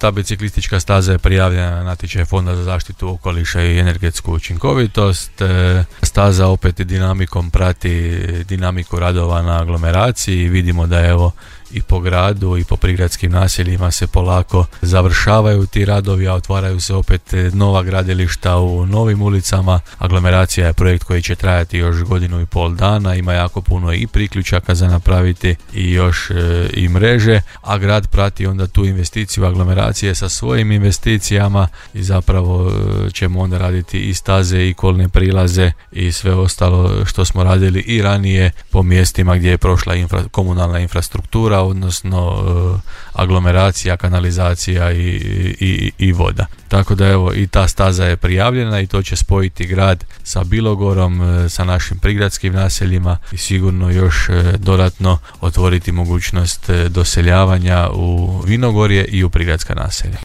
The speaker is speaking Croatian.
Ta biciklistička staza je prijavljena na natječaj Fonda za zaštitu okoliša i energetsku učinkovitost. Staza opet dinamikom prati dinamiku radova na aglomeraciji. Vidimo da evo i po gradu i po prigradskim naseljima se polako završavaju ti radovi, a otvaraju se opet nova gradilišta u novim ulicama. Aglomeracija je projekt koji će trajati još 1.5 dana, ima jako puno i priključaka za napraviti i još i mreže, a grad prati onda tu investiciju aglomeracije sa svojim investicijama i zapravo ćemo onda raditi i staze i kolne prilaze i sve ostalo što smo radili i ranije po mjestima gdje je prošla komunalna infrastruktura, odnosno aglomeracija, kanalizacija i voda. Tako da evo i ta staza je prijavljena i to će spojiti grad sa Bilogorom, sa našim prigradskim naseljima i sigurno još dodatno otvoriti mogućnost doseljavanja u Vinogorje i u prigradska naselja.